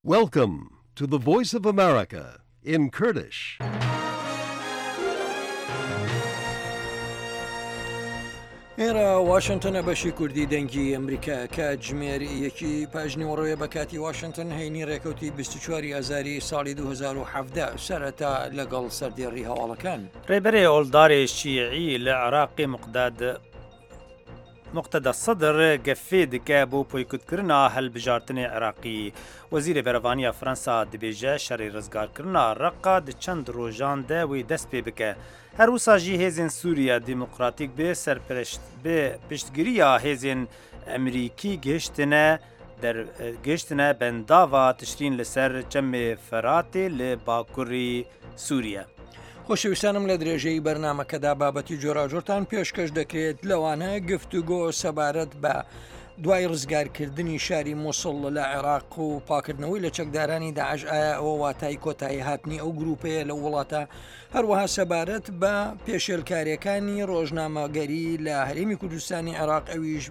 Welcome to the Voice of America in Kurdish. ئێرە واشنتنە بەشی کوردی دەنگی ئەمریکا کاتژمێر یەکی پاژنیوەڕۆیە بە کاتی واشنتن هەینی ڕێکەوتی 24 ئازاری ساڵی 2017 سەرەتا لەگەڵ سەردێڕی هەواڵەکان. ڕێبەرێ ئۆڵدارێ شیعی لە عراقی مقداد موقتەدا سەدر gefê dike bo poykutkirina hilbijartinê Iraqî. Wezîrê Berevaniya Fransa dibêje şerê rizgarkirina Reqa di çend rojan de wê dest pê bike. Her wisa jî hêzên Sûriya Demokratîk bi serpereşt bi piştgiriya hêzên Emerîkî gihiştine der gihiştine bendava Tişrîn li ser çemê Feratê li bakurî Sûriye. خۆشەویستانم لە درێژەی بەرنامەکەدا بابەتی جۆراوجۆرتان پێشکەش دەکرێت لەوانە گفتوگۆ سەبارەت بە دوای ڕزگارکردنی شاری موسڵ لە عێراق و پاکردنەوەی لە چەکدارانی داعش ئایا ئەوە واتای کۆتایی هاتنی ئەو گروپەیە لە وڵاتە هەروەها سەبارەت بە پێشێلکاریەکانی ڕۆژنامەگەری لە هەرێمی کوردستانی عێراق ئەویش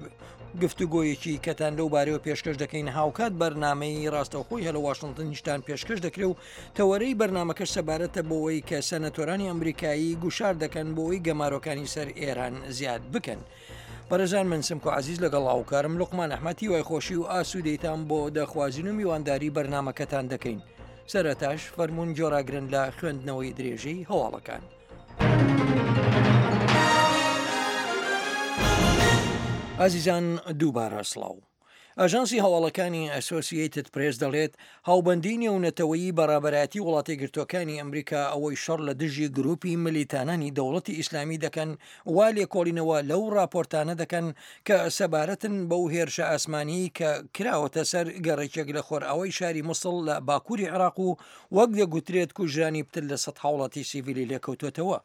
گفتوگۆیەکی کەتان لەو بارەوە پێشکەش دەکەین هاوکات بەرنمەی ڕاستەوخۆی هەلە واشنتنیشتان پێشکەش دەکرێ و تەوەرەی بەرنامەکەش سەبارەتە بەوەی کە سەنەتۆرانی ئەمریکایی گوشار دەکەن بۆ ئەوەی گەمارۆکانی سەر ئێران زیاد بکەن. بەڕێزان من سمکۆ عەزیز لەگەڵ هاوکارم لوقمان ئەحمەد هیوای خۆشی و ئاسوودەیتان بۆ دەخوازین و میوانداری بەرنامەکەتان دەکەین. سەرەتاش فەرموون گۆڕاگرن لە خوێندنەوەی درێژەی هەواڵەکان. ئازیزان دووبارە سڵاو. ئاژانسی هەواڵەکانی ئەسۆسیەیتد پرێس دەڵێت، هاوبەندیی نێونەتەوەیی بە ڕابەرایەتی وڵاتەیەکگرتووەکانی ئەمریکا ئەوەی شەڕ لە دژی گرووپی ملیتانانی دەوڵەتی ئیسلامی دەکەن وا لێکۆڵینەوە لەو ڕاپۆرتانە دەکەن کە سەبارەتن بەو هێرشە ئاسمانیی کە کراوەتە سەر گەڕەکێک لە خۆرئاوای شاری موسڵ لە باکووری عێراق و وەک دەگوترێت کوژرانی پتر لە سەد هاوڵاتی سیڤیلی لێکەوتووەتەوە.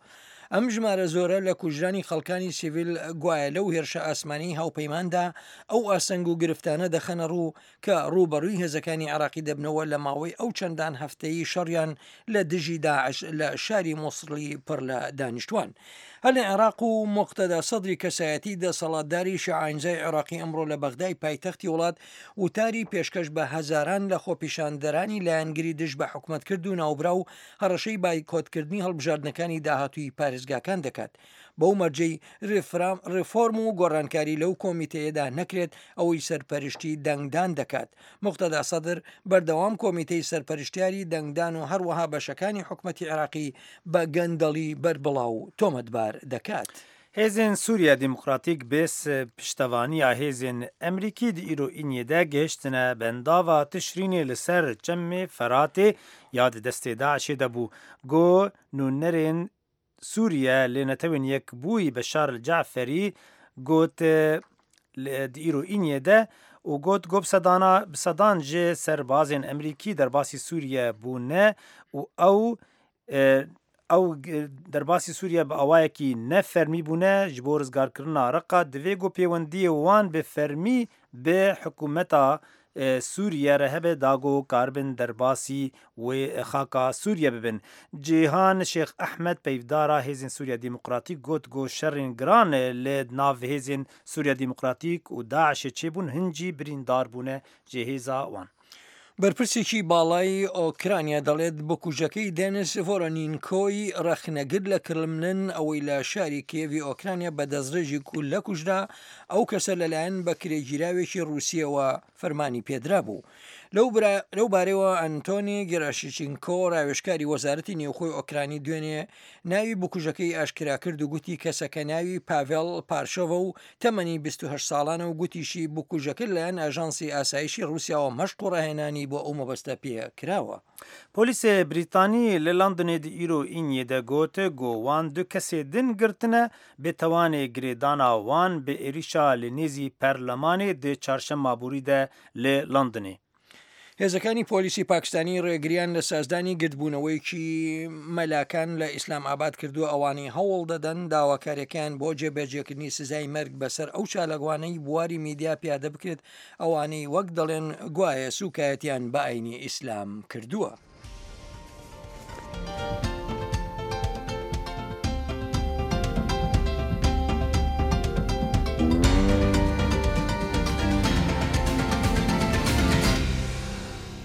ئەم ژمارە زۆرە لە کوژرانی خەڵکانی سیڤیل گوایە لەو هێرشە ئاسمانیی هاوپەیماندا ئەو ئاستەنگ و گرفتانە دەخەنە ڕوو کە ڕووبەڕووی هێزەکانی عێراقی دەبنەوە لە ماوەی ئەو چەندان هەفتەیی شەڕیان لە دژی داعش لە شاری موسڵی پڕ لە دانیشتوان. هەر لە عێراق و موقتەدا سەدری کەسایەتی دەسەڵاتداری شیعەئاینزای عێراقی ئەمڕۆ لە بەغدای پایتەختی وڵات وتاری پێشکەش بە هەزاران لە خۆپیشاندەرانی لایەنگری دژ بە حکومەت کرد و ناوبراو هەڕەشەی بایکۆتکردنی هەڵبژاردنەکانی داهاتووی پارێزگاکان دەکات بەو مەرجەی ڕێفۆرم و گۆڕانکاری لەو کۆمیتەیەدا نەکرێت ئەوەی سەرپەرشتی دەنگدان دەکات. موقتەدا سەدر بەردەوام کۆمیتەی سەرپەرشتیاری دەنگدان و هەروەها بەشەکانی حکومەتی عێراقی بە گەندەڵی بەربڵاو تۆمەتبار دەکات. هێزên Sûriya Demokratîk bê piştevaniya hêzên Emrîkî di îro îniyê de gihiştine bendava Tişrînê li ser çemê Feratê ya di destê DAIŞ'ê de bû. Got nûnerên Sûriye li Netewên Yekbûyî Beşar El Caferî got di îro îniyê de û got ku bi sedan ji serbazên Emrîkî derbasî Sûriye bûne û ew Ew derbasî Sûriye bi awayekî ne fermî bûne ji bo rizgarkirina Reqa divê ku pêwendiyê wan bi fermî bi hikûmeta Sûriye re hebe da ku karibin derbasî wê xaka Sûriye bibin. Cîhan Şêx Ehmed peyvdara Hêzên Sûriya Demokratîk got ku şerên giran li nav Hêzên Sûriya Demokratîk û DAIŞ'ê çêbûn hin jî birîndar bûne ji hêza wan. بەرپرسێکی باڵای ئۆکرانیا دەڵێت بکوژەکەی دێنس ڤۆرۆنینکۆی ڕەخنەگر لە کرملن ئەوەی لە شاری کیێڤی ئۆکرانیا بە دەستڕێژی گوللە کوژرا، ئەو کەسە لەلایەن بەکرێگیراوێکی ڕووسییەوە فەرمانی پێدرابوو. لەو بارەیەوە ئەنتۆنی گێراشیچینکۆ ڕاوێژکاری وەزارەتی نێوخۆی ئۆکرانی دوێنێ ناوی بکوژەکەی ئاشکرا کرد و گوتی کەسەکە ناوی پاڤێڵ پارشۆڤە و تەمەنی 28 ساڵانە و گوتیشی بکوژەکە لەلایەن ئاژانسی ئاسایشی ڕووسیاوە مەشق و ڕاهێنانی بۆ ئەو مەبەستە پێ کراوە. پۆلیسê Brîtanî li Londonê di îro Îniyê de got ku wan du kesê din girtine bi tewanê girêdana wan bi êrîşa li nêzî perlemanê di çarşema borî de li Londonê. هێزەکانی پۆلیسی پاکستانی ڕێگریان لە سازدانی گردبوونەوەیەکی مەلاکان لە ئیسلام ئاباد کردووە، ئەوانەی هەوڵ دەدەن داواکاریەکەیان بۆ جێبەجێکردنی سزای مەرگ بەسەر ئەو چالاکوانەی بواری میدیا پیادە بکرێت، ئەوانەی وەک دەڵێن گوایە سوکایەتیان بە ئاینی ئیسلام کردووە.